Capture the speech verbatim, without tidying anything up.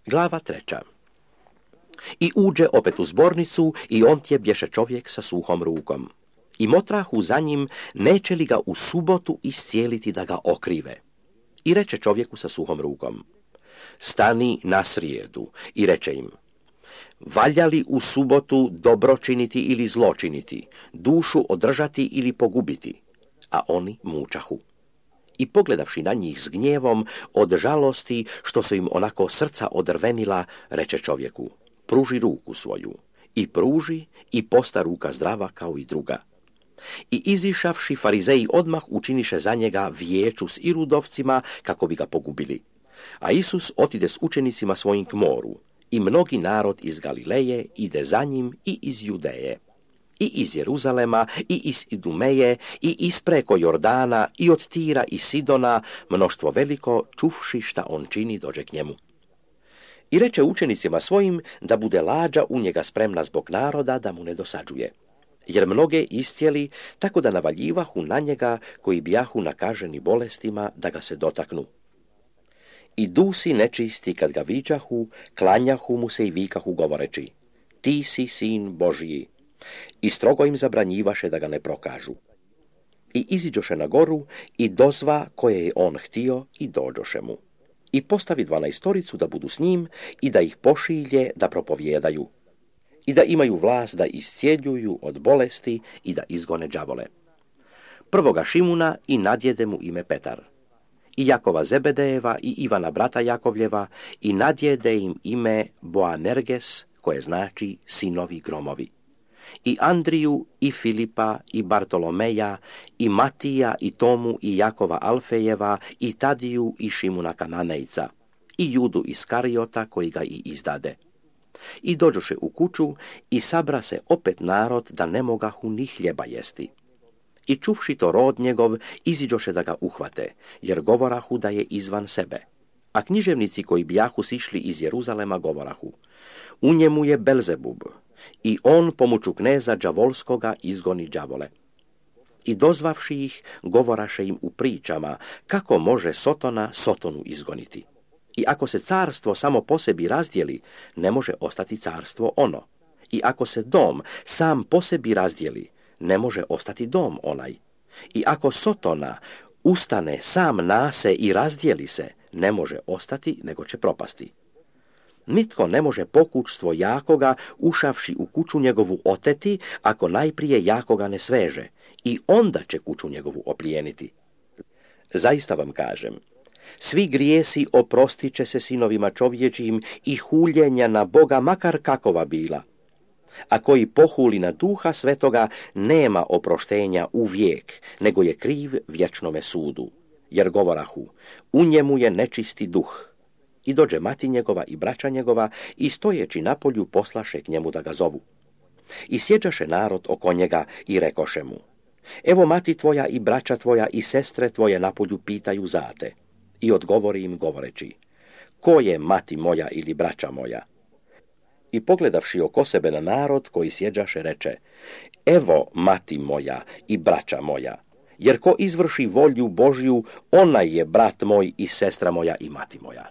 Glava treća. I uđe opet u zbornicu i on tje bješe čovjek sa suhom rukom. I motrahu za njim, neće li ga u subotu iscijeliti da ga okrive. I reče čovjeku sa suhom rukom: stani na srijedu. I reče im: valja li u subotu dobro činiti ili zlo činiti, dušu održati ili pogubiti? A oni mučahu. I pogledavši na njih s gnjevom, od žalosti što su im onako srca odrvenila, reče čovjeku: pruži ruku svoju. I pruži, i posta ruka zdrava kao i druga. I izišavši, farizeji odmah učiniše za njega vijeću s irudovcima kako bi ga pogubili. A Isus otide s učenicima svojim k moru, i mnogi narod iz Galileje ide za njim i iz Judeje, i iz Jeruzalema, i iz Idumeje, i ispreko Jordana, i od Tira i Sidona, mnoštvo veliko, čuvši šta on čini, dođe k njemu. I reče učenicima svojim da bude lađa u njega spremna zbog naroda, da mu ne dosađuje. Jer mnoge iscijeli, tako da navaljivahu na njega koji bijahu nakaženi bolestima da ga se dotaknu. I dusi nečisti kad ga viđahu, klanjahu mu se i vikahu govoreći: ti si sin Božji. I strogo im zabranjivaše da ga ne prokažu. I iziđoše na goru i dozva koje je on htio i dođoše mu. I postavi dvanaestoricu da budu s njim i da ih pošilje da propovjedaju. I da imaju vlast da iscijeljuju od bolesti i da izgone đavole. Prvoga Šimuna i nadjede mu ime Petar. I Jakova Zebedejeva i Ivana brata Jakovljeva i nadjede im ime Boanerges, koje znači sinovi gromovi. I Andriju i Filipa i Bartolomeja i Matija i Tomu i Jakova Alfejeva i Tadiju i Šimuna Kananejca i Judu Iskarijota koji ga i izdade. I dođoše u kuću i sabra se opet narod da ne mogahu ni hljeba jesti. I čuvši to rod njegov, iziđoše da ga uhvate, jer govorahu da je izvan sebe. A književnici koji bijahu sišli iz Jeruzalema govorahu: u njemu je Belzebub, i on pomoću kneza đavolskoga izgoni đavole. I dozvavši ih, govoraše im u pričama kako može Sotona Sotonu izgoniti. I ako se carstvo samo po sebi razdijeli, ne može ostati carstvo ono. I ako se dom sam po sebi razdijeli, ne može ostati dom onaj. I ako Sotona ustane sam na se i razdijeli se, ne može ostati, nego će propasti. Nitko ne može pokućstvo jakoga, ušavši u kuću njegovu oteti, ako najprije jakoga ne sveže, i onda će kuću njegovu oplijeniti. Zaista vam kažem, svi grijesi oprostit će se sinovima čovječijim i huljenja na Boga, makar kakova bila. A koji pohuli na Duha Svetoga, nema oproštenja u vijek, nego je kriv vječnome sudu. Jer govorahu: u njemu je nečisti duh. I dođe mati njegova i braća njegova i stojeći na polju poslaše k njemu da ga zovu. I sjeđaše narod oko njega i rekoše mu: evo mati tvoja i braća tvoja i sestre tvoje na polju pitaju za te. I odgovori im govoreći: ko je mati moja ili braća moja? I pogledavši oko sebe na narod koji sjeđaše, reče: evo mati moja i braća moja, jer ko izvrši volju Božju, onaj je brat moj i sestra moja i mati moja.